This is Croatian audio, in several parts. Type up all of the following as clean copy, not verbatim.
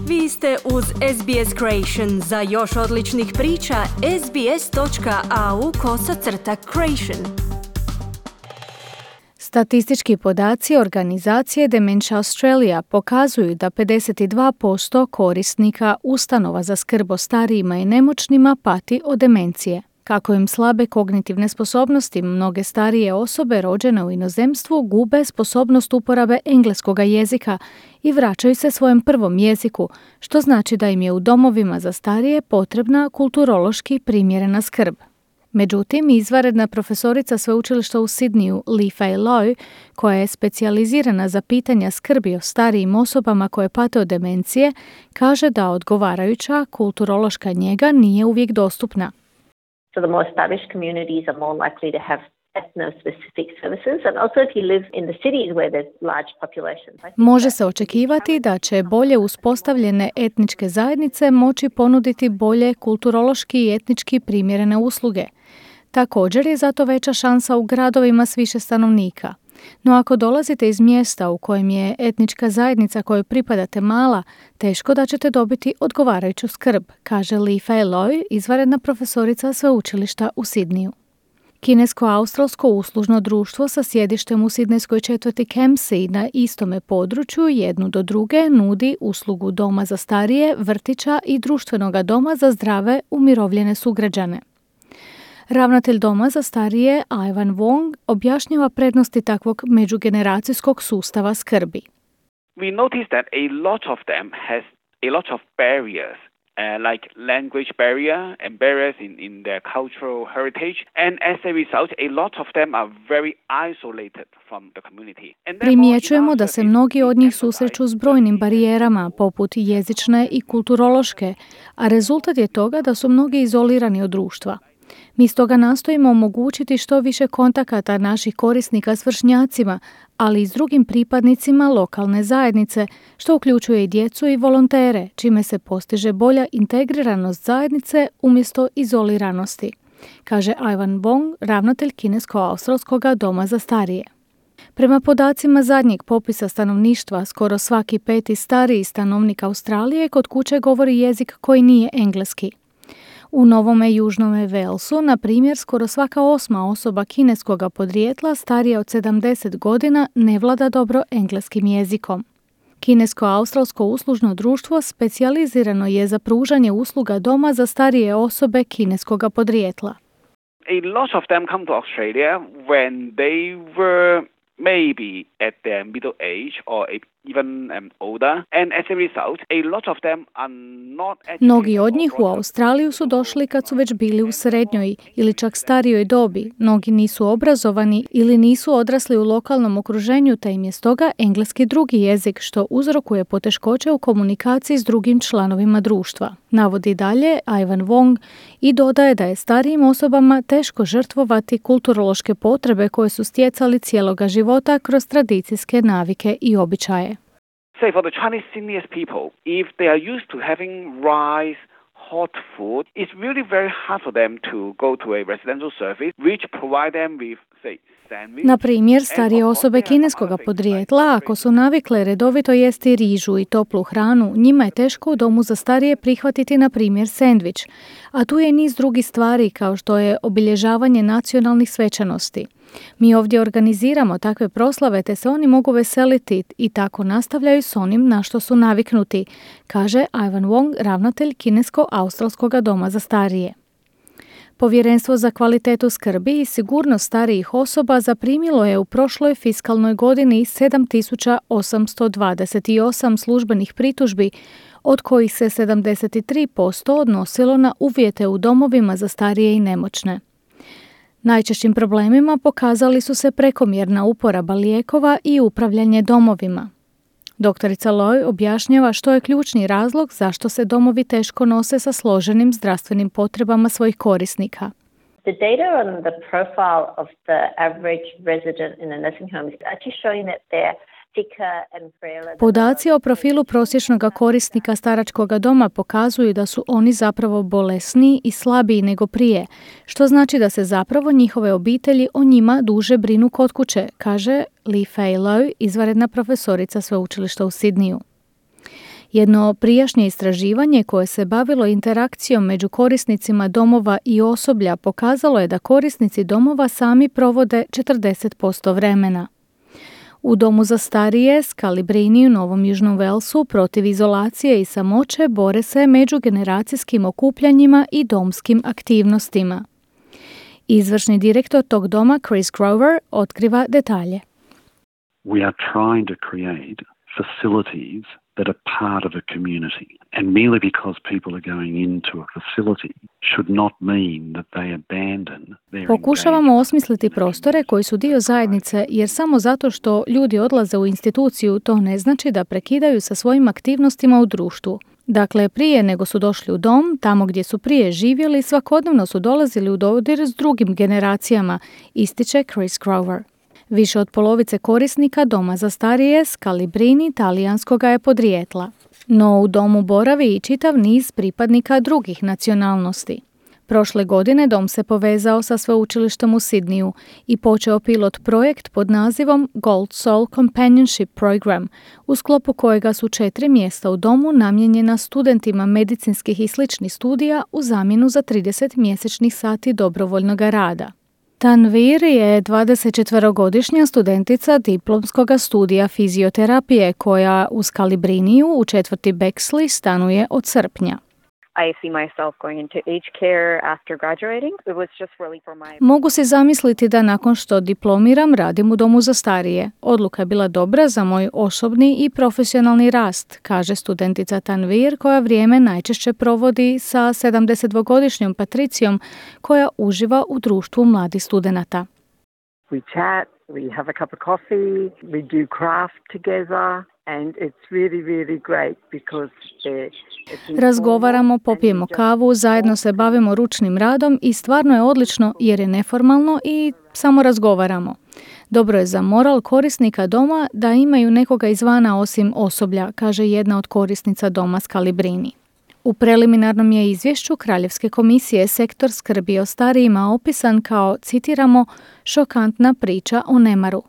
Vi ste uz SBS Creation. Za još odličnih priča, sbs.au/creation. Statistički podaci organizacije Dementia Australia pokazuju da 52% korisnika ustanova za skrb o starijima i nemoćnima pati od demencije. Kako im slabe kognitivne sposobnosti, mnoge starije osobe rođene u inozemstvu gube sposobnost uporabe engleskog jezika i vraćaju se svojem prvom jeziku, što znači da im je u domovima za starije potrebna kulturološki primjerena skrb. Međutim, izvanredna profesorica sveučilišta u Sidneyu Li-Fei Loy, koja je specijalizirana za pitanja skrbi o starijim osobama koje pate od demencije, kaže da odgovarajuća kulturološka njega nije uvijek dostupna. So the more established communities are more likely to have ethno-specific services, and also if you live in the cities where there's large populations. Može se očekivati da će bolje uspostavljene etničke zajednice moći ponuditi bolje kulturološki i etnički primjerene usluge. Također je zato veća šansa u gradovima s više stanovnika. No ako dolazite iz mjesta u kojem je etnička zajednica kojoj pripadate mala, teško da ćete dobiti odgovarajuću skrb, kaže Li-Fei Loy, izvanredna profesorica sveučilišta u Sidneyu. Kinesko-australsko uslužno društvo sa sjedištem u sidnejskoj četvrti Kempsey na istome području jednu do druge nudi uslugu doma za starije, vrtića i društvenoga doma za zdrave umirovljene sugrađane. Ravnatelj doma za starije Ivan Wong objašnjava prednosti takvog međugeneracijskog sustava skrbi. We noticed that a lot of them has a lot of barriers. Like language barrier and barriers in their cultural heritage, and as a result, a lot of them are very isolated from the community. Primjećujemo da se mnogi od njih susreću s brojnim barijerama, poput jezične i kulturološke, a rezultat je toga da su mnogi izolirani od društva. Mi stoga nastojimo omogućiti što više kontakata naših korisnika s vršnjacima, ali i s drugim pripadnicima lokalne zajednice, što uključuje i djecu i volontere, čime se postiže bolja integriranost zajednice umjesto izoliranosti, kaže Ivan Wong, ravnatelj Kinesko-australskog doma za starije. Prema podacima zadnjeg popisa stanovništva, skoro svaki 5. stariji stanovnik Australije kod kuće govori jezik koji nije engleski. U Novome Južnome Walesu, na primjer, skoro svaka 8. osoba kineskog podrijetla starija od 70 godina ne vlada dobro engleskim jezikom. Kinesko-australsko uslužno društvo specijalizirano je za pružanje usluga doma za starije osobe kineskog podrijetla. A lot of them come to Australia when they were maybe at their middle age or even older, and as a result, a lot of them are not. Mnogi od njih u Australiju su došli kad su već bili u srednjoj ili čak starijoj dobi. Mnogi nisu obrazovani ili nisu odrasli u lokalnom okruženju, te im je stoga engleski drugi jezik, što uzrokuje poteškoće u komunikaciji s drugim članovima društva. Navodi dalje Ivan Wong i dodaje da je starijim osobama teško žrtvovati kulturološke potrebe koje su stjecali cijeloga života kroz tradicijske navike i običaje. Say for the Chinese senior people, if they are used to having rice, hot food, it's really very hard for them to go to a residential service which provide them with, say, na primjer, starije osobe kineskog podrijetla, ako su navikle redovito jesti rižu i toplu hranu, njima je teško u domu za starije prihvatiti, na primjer, sendvič. A tu je niz drugih stvari, kao što je obilježavanje nacionalnih svečanosti. Mi ovdje organiziramo takve proslave, te se oni mogu veseliti i tako nastavljaju s onim na što su naviknuti, kaže Ivan Wong, ravnatelj Kinesko-australskog doma za starije. Povjerenstvo za kvalitetu skrbi i sigurnost starijih osoba zaprimilo je u prošloj fiskalnoj godini 7.828 službenih pritužbi, od kojih se 73% odnosilo na uvjete u domovima za starije i nemoćne. Najčešćim problemima pokazali su se prekomjerna uporaba lijekova i upravljanje domovima. Doktorica Loy objašnjava što je ključni razlog zašto se domovi teško nose sa složenim zdravstvenim potrebama svojih korisnika. The data on the profile of the average resident in a nursing home is actually showing that they're Podaci o profilu prosječnog korisnika staračkog doma pokazuju da su oni zapravo bolesniji i slabiji nego prije, što znači da se zapravo njihove obitelji o njima duže brinu kod kuće, kaže Li-Fei Loy, izvanredna profesorica sveučilišta u Sidneyu. Jedno prijašnje istraživanje koje se bavilo interakcijom među korisnicima domova i osoblja pokazalo je da korisnici domova sami provode 40% vremena. U domu za starije Scalabrini u Novom Južnom Walesu protiv izolacije i samoće bore se međugeneracijskim okupljanjima i domskim aktivnostima. Izvršni direktor tog doma Chris Grover otkriva detalje. We are trying to create facilities that are part of a community. And merely because people are going into a facility should not mean that they abandon their Pokušavamo osmisliti prostore koji su dio zajednice, jer samo zato što ljudi odlaze u instituciju, to ne znači da prekidaju sa svojim aktivnostima u društvu. Dakle, prije nego su došli u dom, tamo gdje su prije živjeli, svakodnevno su dolazili u dodir s drugim generacijama, ističe Chris Grover. Više od polovice korisnika doma za starije Scalabrini talijanskoga je podrijetla. No u domu boravi i čitav niz pripadnika drugih nacionalnosti. Prošle godine dom se povezao sa sveučilištem u Sidniju i počeo pilot projekt pod nazivom Gold Soul Companionship Program, u sklopu kojega su 4 mjesta u domu namijenjena studentima medicinskih i sličnih studija u zamjenu za 30 mjesečnih sati dobrovoljnog rada. Tanvir je 24-godišnja studentica diplomskog studija fizioterapije koja u Scalabriniju u četvrti Bexley stanuje od srpnja. I see myself going into aged care after graduating. It was just really for my... Mogu si zamisliti da nakon što diplomiram radim u domu za starije. Odluka je bila dobra za moj osobni i profesionalni rast, kaže studentica Tanvir koja vrijeme najčešće provodi sa 72-godišnjom Patricijom koja uživa u društvu mladih studenata. We chat, we have a cup of coffee, we do craft together. And it's really great because razgovaramo, popijemo kavu, zajedno se bavimo ručnim radom i stvarno je odlično jer je neformalno i samo razgovaramo. Dobro je za moral korisnika doma da imaju nekoga izvana osim osoblja, kaže jedna od korisnica doma Scalabrini. U preliminarnom je izvješću Kraljevske komisije sektor skrbi o starijima opisan kao, citiramo, šokantna priča o nemaru.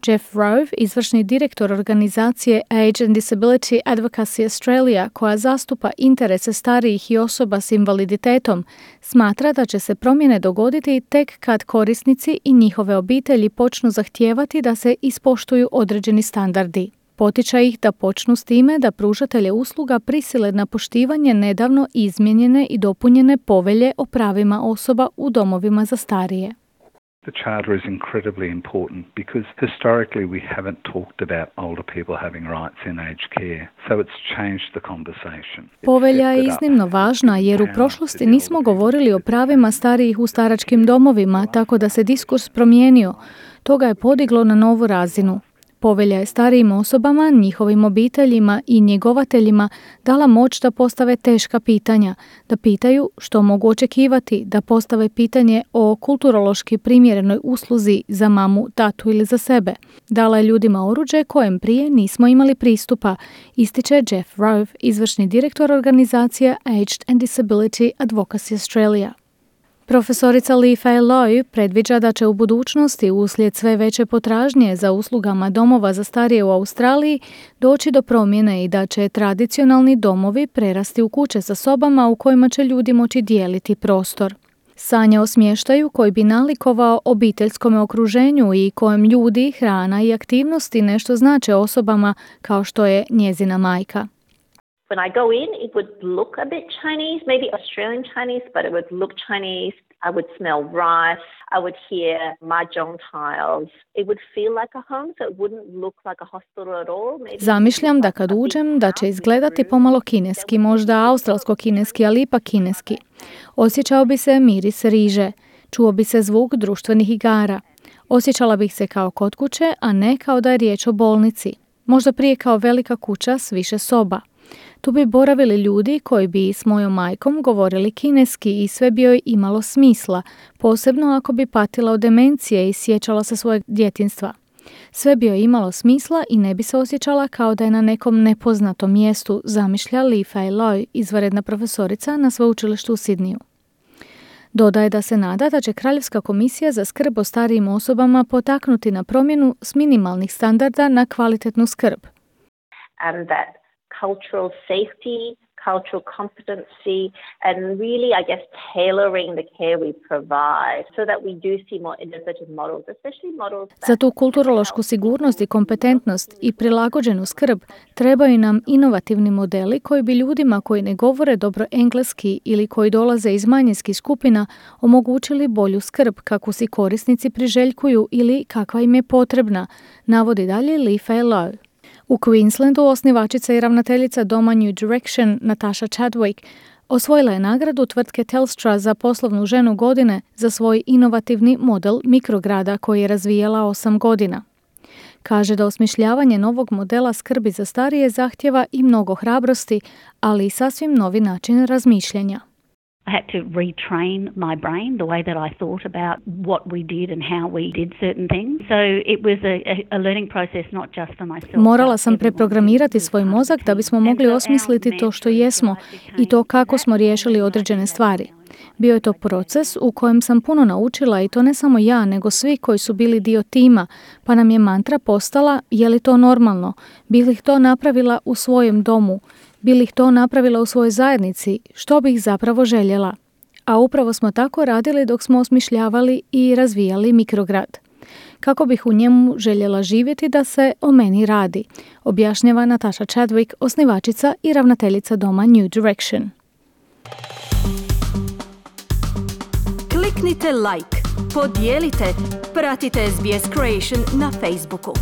Jeff Rove, izvršni direktor organizacije Age and Disability Advocacy Australia, koja zastupa interese starijih i osoba s invaliditetom, smatra da će se promjene dogoditi tek kad korisnici i njihove obitelji počnu zahtijevati da se ispoštuju određeni standardi. Potiče ih da počnu s time da pružatelje usluga prisile na poštivanje nedavno izmijenjene i dopunjene povelje o pravima osoba u domovima za starije. The charter is incredibly important because historically we haven't talked about older people having rights in aged care, so it's changed the conversation. Povelja je iznimno važna jer u prošlosti nismo govorili o pravima starijih u staračkim domovima, tako da se diskurs promijenio. To ga je podiglo na novu razinu. Povelja je starijim osobama, njihovim obiteljima i njegovateljima dala moć da postave teška pitanja, da pitaju što mogu očekivati, da postave pitanje o kulturološki primjerenoj usluzi za mamu, tatu ili za sebe. Dala je ljudima oruđe kojem prije nismo imali pristupa, ističe Jeff Rove, izvršni direktor organizacije Aged and Disability Advocacy Australia. Profesorica Lee Fay Loy predviđa da će u budućnosti uslijed sve veće potražnje za uslugama domova za starije u Australiji doći do promjene i da će tradicionalni domovi prerasti u kuće sa sobama u kojima će ljudi moći dijeliti prostor. Sanja o smještaju koji bi nalikovao obiteljskome okruženju i kojem ljudi, hrana i aktivnosti nešto znače osobama kao što je njezina majka. When I go in, it would look a bit Chinese, maybe Australian Chinese, but it would look Chinese. I would smell rice. I would hear mahjong tiles. It would feel like a home, so it wouldn't look like a hospital at all. Zamišljam da kad uđem da će izgledati pomalo kineski, možda australsko-kineski, ali ipak kineski. Osjećao bi se miris riže, čuo bi se zvuk društvenih igara. Osjećala bih se kao kod kuće, a ne kao da je riječ o bolnici. Možda prije kao velika kuća s više soba. Tu bi boravili ljudi koji bi s mojom majkom govorili kineski i sve bi joj imalo smisla, posebno ako bi patila od demencije i sjećala se svojeg djetinjstva. Sve bi joj imalo smisla i ne bi se osjećala kao da je na nekom nepoznatom mjestu, zamišlja Lee Fay Loy, izvanredna profesorica na sveučilištu u Sidniju. Dodaje da se nada da će Kraljevska komisija za skrb o starijim osobama potaknuti na promjenu s minimalnih standarda na kvalitetnu skrb. And that cultural safety, cultural competency, and really, I guess, tailoring the care we provide so that we do see more innovative models, especially models that... Za tu kulturološku sigurnost i kompetentnost i prilagođenu skrb trebaju nam inovativni modeli koji bi ljudima koji ne govore dobro engleski ili koji dolaze iz manjinskih skupina omogućili bolju skrb kakvu si korisnici priželjkuju ili kakva im je potrebna, navodi dalje Li-Fei Lo. U Queenslandu osnivačica i ravnateljica doma New Direction Natasha Chadwick osvojila je nagradu tvrtke Telstra za poslovnu ženu godine za svoj inovativni model mikrograda koji je razvijala 8 godina. Kaže da osmišljavanje novog modela skrbi za starije zahtjeva i mnogo hrabrosti, ali i sasvim novi način razmišljanja. I had to retrain my brain the way that I thought about what we did and how we did certain things. So it was a learning process not just for myself. Morala sam preprogramirati svoj mozak da bismo mogli osmisliti to što jesmo i to kako smo riješili određene stvari. Bio je to proces u kojem sam puno naučila i to ne samo ja, nego svi koji su bili dio tima, pa nam je mantra postala je li to normalno, bi li to napravila u svojem domu, bi li to napravila u svojoj zajednici, što bih zapravo željela. A upravo smo tako radili dok smo osmišljavali i razvijali mikrograd. Kako bih u njemu željela živjeti da se o meni radi, objašnjava Natasha Chadwick, osnivačica i ravnateljica doma New Direction. Kliknite like, podijelite, pratite SBS Creation na Facebooku.